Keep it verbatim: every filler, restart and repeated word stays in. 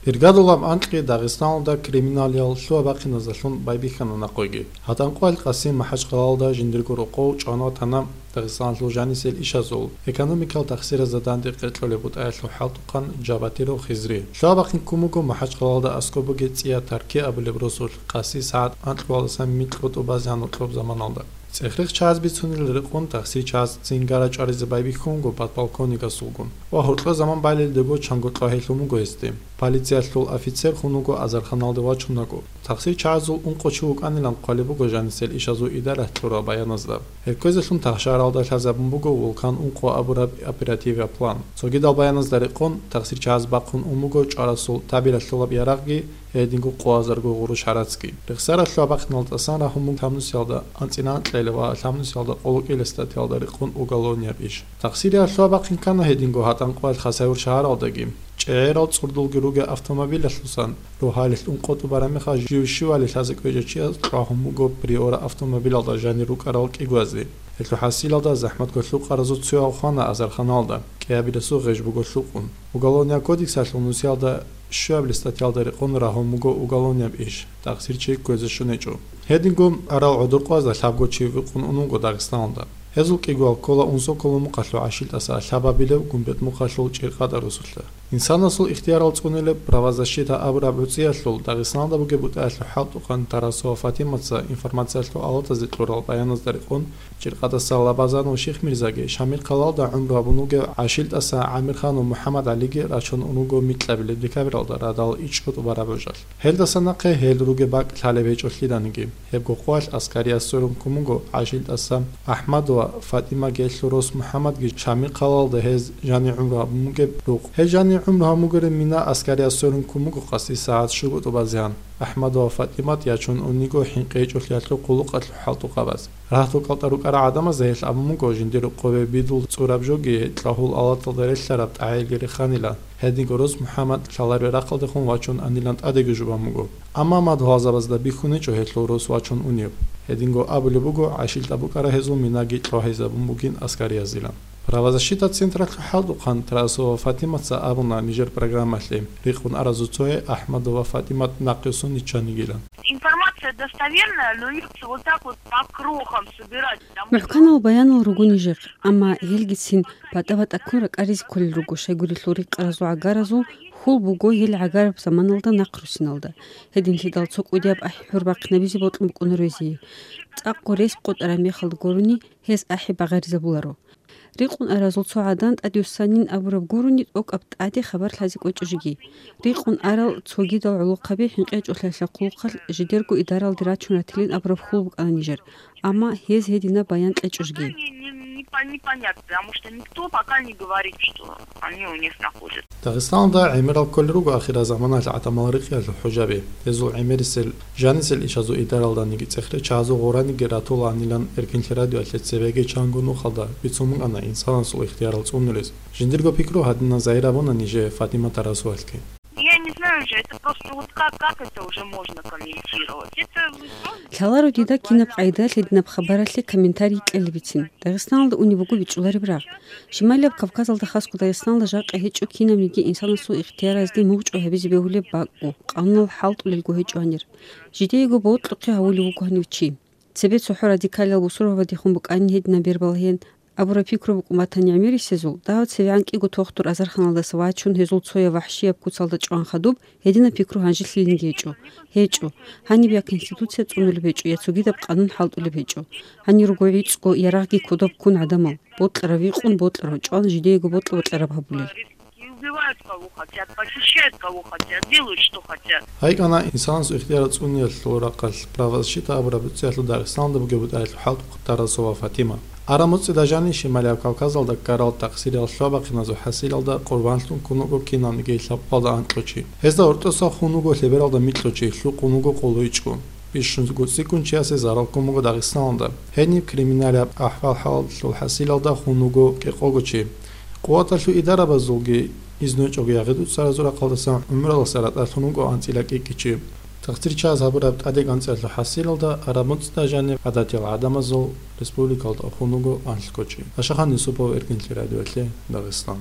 Иргадулаб анкьги Дагъистаналда криминалиял лъугьа-бахъиназалъун байбихьана нахъеги. ГьатӀанкъоялъ Къасим МахӀачхъалалда жиндирго рокъов чӀван ватана Дагъистаналъул жанисел ишазул, экономикал тахсиразда данде къеркьулеб бутӀаялъул хӀалтӀухъан Джабатиров Хизри. Лъугьа-бахъин ккун буго МахӀачхъалалда аскӀоб бугеб ЦӀия Тарки абулеб росулъ Къаси СагӀат анкьалдасан микьго тӀубазегӀан гьоркьоб заманалда. ЦӀехрехъ чагӀаз бицунел рекъон тахсир чагӀаз цинги рачӀваризе байбихьунго подполковникасулгун ва гьоркьо заман балелдего чанго кьвагьелъун буго гьесде. Полициялъул офицер хун вуго азарханалде вачунаго. Тахсир чагӀазул ункъо чи вукӀанилан хъвалеб буго жанисел ишазул идаралъ кьурал баяназда. Гьеб кквезелъун тахшаралда лъазабун буго Вулкан ункъо абураб оперативияб план. Цогидал баяназда рекъон, тахсир чагӀаз бахъун ун буго чӀварасул табиялъулаб ярагъги, гьединго къоязарго гъурущ гьарацги. Рехсаралъул бахъиналда тӀасан рагьун буго лъабнусиялда анцӀила анкьила ва лъабнусиялда къоло кӀила статьялда рекъон уголовнияб иш. Тахсириялъул бахъин ккана гьединго гьатӀанкъоялъ Хасавюрт шагьаралдаги. ЧӀегӀерал цӀурдулги ругел автомобилалъусан, рогьалилъ ункъо тӀубараб мехалъ живщивали лъазе кӀвечӀев чияс кьвагьун буго Приора автомобилалда жанир рукӀарал кӀигоязде. Гьелъул хӀасилалда захӀматго лъукъаразул цояв хвана азарханалда, кӀиабилесул гъеж буго лъукъун. Уголовнияб кодексалъул нусиялда щуабилеб статьялда рекъон рагьун буго уголовнияб иш, тахсир чи кквезе щун гьечӀо. Гьединго арал гӀодор къвазда лъабго чи вихъун ун вуго Дагъистаналда. Гьезул кӀигоял ккола Унсоколо мухъалъул ГӀашилтӀаса лъабабилеб Гумбет мухъалъул ЧӀиркъатӀа росулъа. Инсанасул ихтиярал цӀунулеб правозащита абураб гӀуцӀиялъул Дагъистаналда бугеб бутӀаялъул хӀалтӀухъан Тарасова Фатимаца информациялъул алатазе кьурал баяназда рекъон, ЧӀиркъатӀаса Лабазанов Шихмирзаги Шамилхъалалда гӀумру гьабун вугев ГӀашилтӀаса ГӀамирханов МухӀаммадгӀалиги рачун ун вуго микьабилеб декабралда радал ичӀго тӀубараб гъожалъ. Гьелдаса нахъе гьел ругеб бакӀ лъалеб гьечӀолъиданиги, гьеб гохъуялъ аскарияб сорун ккун буго ГӀашилтӀаса АхӀмадова Фатимаги гьелъул рос МухӀаммадги Шамилхъалалда гьез жанир гӀумру гьабун бугеб рукъ. Гьел жанир гӀумру гьабун бугеб мина аскарияб сорун ккун буго къаси сагӀат щуго тӀубазегӀан. АхӀмадова Фатимат ячун униго хӀинкъи гьечӀолъиялъул хъулухъалъул хӀалтӀухъабаз. Рагьтукалда рукӀарал гӀадамаз гьелъ абун буго жиндир рокъове бидул цӀураб жоги, кьагьул алаталда релълъараб тӀагӀелги реханила, гьединго рос МухӀаммад лъалареб рахъалдехун вачун анилан тӀадеги жубан буго. Амма мадугьалзабазда бихьун гьечӀо гьелъул рос вачун унеб. Гьединго абулеб буго, ГӀашилтӀа букӀараб гьезул минаги кьвагьизабун бугин аскариязилан. Правозащита централъул хӀалтӀухъан Тарасова Фатимаца абуна нижер программалъе, рикъун аразул цое АхӀмадова Фатимат нахъе сон йиччанигилан. Информация достоверная, но её вот так вот по крохам собирать. МухӀканал баянал руго нижехъ, амма гьелгицин батӀа-батӀа ккун ракӀаризе кколел руго, щайгурелъул рикъаразул гӀагаразул хьул буго гьел гӀагараб заманалда нахърусиналда. Гьединлъидал цо кӀудияб ахӀи-хӀур бахъинабизе бокьун букӀуна рвезие. ЦӀакъго рес къотӀараб мехалда гурони гьез ахӀи багъаризабуларо. Рикъун аразул цо гӀадан тӀадвуссанин абураб гурони тӀокӀаб тӀаде хабар лъазе кӀвечӀо жеги. Рикъун арал цогидал гӀолохъаби хӀинкъи гьечӀолъиялъул хъулухъалъ жидерго идаралде рачун ратилин абураб хьул букӀана нижер, амма гьез гьединаб баян кьечӀо жеги. Непонятно, потому что никто пока не говорит, что они у них находятся. Дагъистаналда гӀемерал кколел руго ахирзаманалъ гӀадамал рекъиялъул хӀужаби. Гьезул гӀемерисел жанисел ишазул идаралданиги цӀехрехъ чагӀазул гъораниги ратулаанилан Эркинлъи радиоялъе цебеги чанго нухалда бицун букӀана инсанасул ихтиярал цӀунулез. Жиндирго пикру гьадинан загьир абуна нижее Фатима Тарасовалъги. Я не знаю уже, это просто вот как, как это уже можно комментировать? Это, ну, просто... Лъаларо дида кинаб къайдалъ гьединаб хабаралъе комментарий кьелебицин. Дагъистаналда унеб буго бичӀчӀулареб рагъ. Шималияб Кавказалда, хасго Дагъистаналда жакъа гьечӀо кинабниги инсанасул ихтияразде мугъчӀвай гьабизе бегьулеб бакӀго, къануналъ хӀалтӀулелго гьечӀо гьанир. Жидеего бокьухъе гьавулев вуго гьанив чи. Цебе цохӀо радикалиял бусурбабадехун букӀанин гьединаб бер балагьеян абураб пикру букӀун батани гӀемерисезул, дагьав цевегӀан кӀиго тухтур азарханалдаса вачун гьезул цояв вахӀшияб куцалда чӀван хадуб, гьединаб пикру гьанжелъилинги гьечӀо. ГьечӀо. Гьаниб я Конституция цӀунулеб гьечӀо, я цогидаб къанун хӀалтӀулеб гьечӀо. Гьанир руго гӀицӀго, ярагъги кодоб ккун гӀадамал. Бокьарав викъун, бокьарав чӀван, жидеего бокьа-бокьараб гьабулел. И убивают кого хотят, похищают кого хотят, делают что хотят. Гьай кӀана инсанасул ихтияр цӀуниялъул рахъалъ правозащита абураб гӀуцӀиялъул Дагъистаналда бугеб бутӀаялъул хӀалтӀухъ Тарасова Фатима. Араб муцӀида жанив Шималияб Кавказалда ккарал тахсириялъул бахъиназул хӀасилалда къурбанлъун ккун вуго кинавниги лъабкъоялда анкьго чи. Гьезда гьоркьоса хун вуго лъебералда микьго чи, лъукъун вуго къоло ичӀго. Бищунго цӀикӀкӀун чиясе зарал ккун буго Дагъистаналда. Гьениб криминалияб ахӀвал-хӀалалъул хӀасилалда хун вуго кӀикъого чи. Къуваталъул идарабазулги изнучӀого ягъи-дуцаразул рахъалдасан гӀумраласа ратӀалъун вуго анцӀила кӀикӀичи. Тахсир чагӀаз гьабураб тӀадегӀанцӀиялъул хӀасилалда араб муцӀда жаниб гӀадатиял гӀадамазул республикалда хун вуго анлъго чи. Ашахан Юсупов, Эркинлъи радиоялъе, Дагъистан.